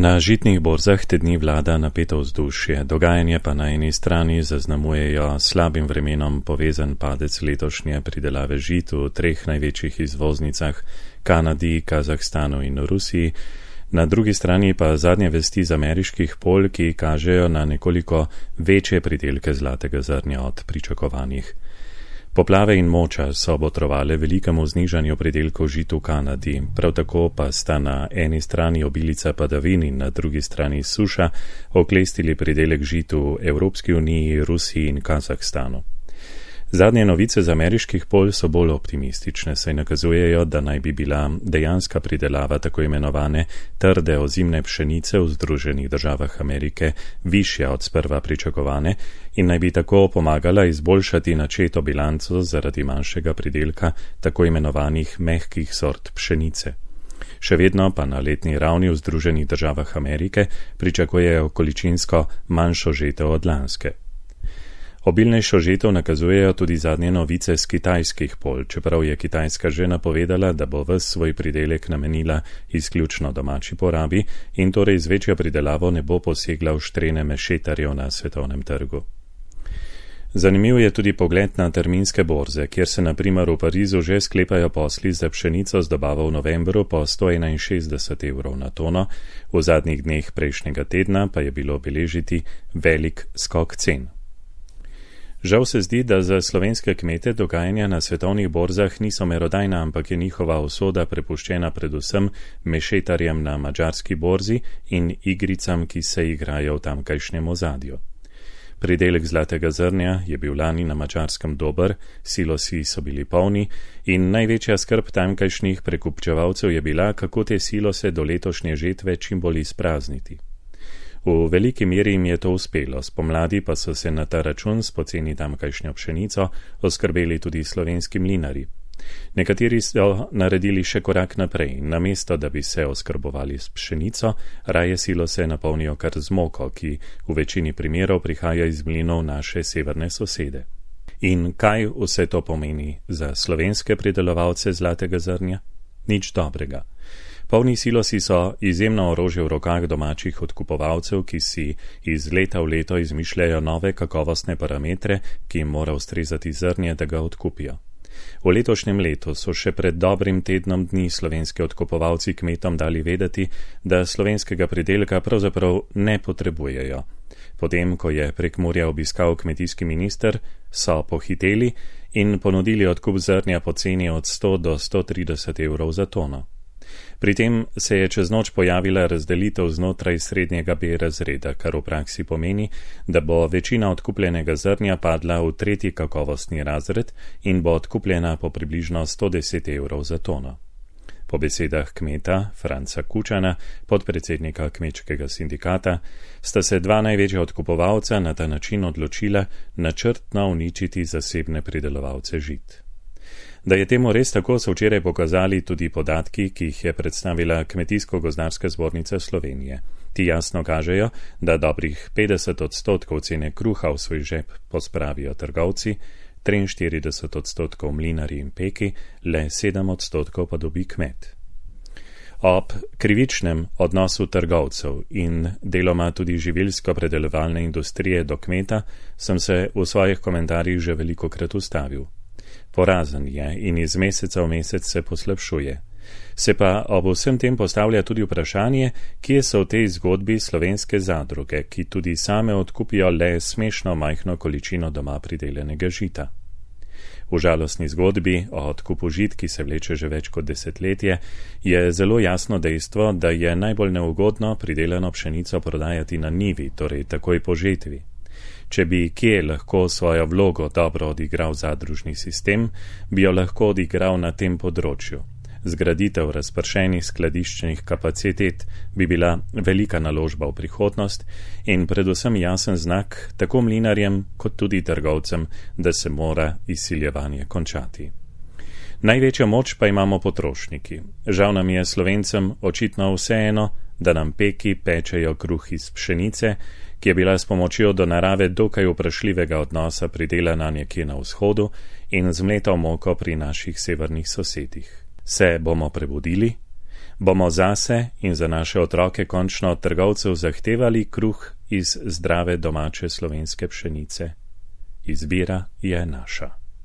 Na žitnih borzah te dni vlada napeto vzdušje, dogajanje pa na eni strani zaznamujejo slabim vremenom povezan padec letošnje pridelave žit v treh največjih izvoznicah Kanadi, Kazahstanu in Rusiji, na drugi strani pa zadnje vesti z ameriških polj, ki kažejo na nekoliko večje pridelke zlatega zrnja od pričakovanih. Poplave in moča so botrovale velikemu znižanju pridelkov žit v Kanadi, prav tako pa sta na eni strani obilica padavin in na drugi strani suša oklestili pridelek žit v Evropski uniji, Rusiji in Kazahstanu. Zadnje novice z ameriških polj so bolj optimistične, saj nakazujejo, da naj bi bila dejanska pridelava tako imenovane trde ozimne pšenice v Združenih državah Amerike višja od sprva pričakovane in naj bi tako pomagala izboljšati načeto bilanco zaradi manjšega pridelka tako imenovanih mehkih sort pšenice. Še vedno pa na letni ravni v Združenih državah Amerike pričakujejo količinsko manjšo žetev od lanske. Obilnejšo žetev nakazujejo tudi zadnje novice z kitajskih polj, čeprav je Kitajska že napovedala, da bo ves svoj pridelek namenila izključno domači porabi in torej z večjo pridelavo ne bo posegla v štrene mešetarjev na svetovnem trgu. Zanimiv je tudi pogled na terminske borze, kjer se na primer v Parizu že sklepajo posli za pšenico z dobavo v novembru po 161 evrov na tono, v zadnjih dneh prejšnjega tedna pa je bilo beležiti velik skok cen. Žal se zdi, da za slovenske kmete dogajanja na svetovnih borzah niso merodajna, ampak je njihova usoda prepuščena predvsem mešetarjem na madžarski borzi in igricam, ki se igrajo v tamkajšnjem ozadju. Pridelek zlatega zrnja je bil lani na Madžarskem dober, silosi so bili polni in največja skrb tamkajšnjih prekupčevalcev je bila, kako te silose do letošnje žetve čim bolj izprazniti. V veliki meri jim je to uspelo, spomladi pa so se na ta račun s poceni tamkajšnjo pšenico oskrbeli tudi slovenski mlinarji. Nekateri so naredili še korak naprej, namesto da bi se oskrbovali s pšenico, raje silose napolnijo kar z moko, ki v večini primerov prihaja iz mlinov naše severne sosede. In kaj vse to pomeni za slovenske pridelovalce zlatega zrnja? Nič dobrega. Polni silosi so izjemno orožje v rokah domačih odkupovalcev, ki si iz leta v leto izmišljajo nove kakovostne parametre, ki jim mora ustrezati zrnje, da ga odkupijo. V letošnjem letu so še pred dobrim tednom dni slovenski odkupovalci kmetom dali vedeti, da slovenskega pridelka pravzaprav ne potrebujejo. Potem, ko je Prekmurja obiskal kmetijski minister, so pohiteli in ponudili odkup zrnja po ceni od 100 do 130 evrov za tono. Pri tem se je čez noč pojavila razdelitev znotraj srednjega B razreda, kar v praksi pomeni, da bo večina odkupljenega zrnja padla v tretji kakovostni razred in bo odkupljena po približno 110 evrov za tono. Po besedah kmeta Franca Kučana, podpredsednika kmečkega sindikata, sta se dva največja odkupovalca na ta način odločila načrtno uničiti zasebne pridelovalce žit. Da je temu res tako, so včeraj pokazali tudi podatki, ki jih je predstavila Kmetijsko-gozdarska zbornica Slovenije. Ti jasno kažejo, da dobrih 50% cene kruha v svoj žep pospravijo trgovci, 43% mlinarji in peki, le 7% pa dobi kmet. Ob krivičnem odnosu trgovcev in deloma tudi živilsko-predelovalne industrije do kmeta sem se v svojih komentarjih že velikokrat ustavil. Porazen je in iz meseca v mesec se poslabšuje. Se pa ob vsem tem postavlja tudi vprašanje, kje so v tej zgodbi slovenske zadruge, ki tudi same odkupijo le smešno majhno količino doma pridelenega žita. V žalostni zgodbi o odkupu žit, ki se vleče že več kot desetletje, je zelo jasno dejstvo, da je najbolj neugodno pridelano pšenico prodajati na njivi, torej takoj po žetvi. Če bi kje lahko svojo vlogo dobro odigral zadružni sistem, bi jo lahko odigral na tem področju. Zgraditev razpršenih skladiščnih kapacitet bi bila velika naložba v prihodnost in predvsem jasen znak tako mlinarjem kot tudi trgovcem, da se mora izsiljevanje končati. Največjo moč pa imamo potrošniki. Žal nam je Slovencem očitno vseeno, da nam peki pečejo kruh iz pšenice, ki je bila s pomočjo do narave dokaj vprašljivega odnosa pridelana nekje na vzhodu in zmleta v moko pri naših severnih sosedih. Se bomo prebudili? Bomo zase in za naše otroke končno od trgovcev zahtevali kruh iz zdrave domače slovenske pšenice? Izbira je naša.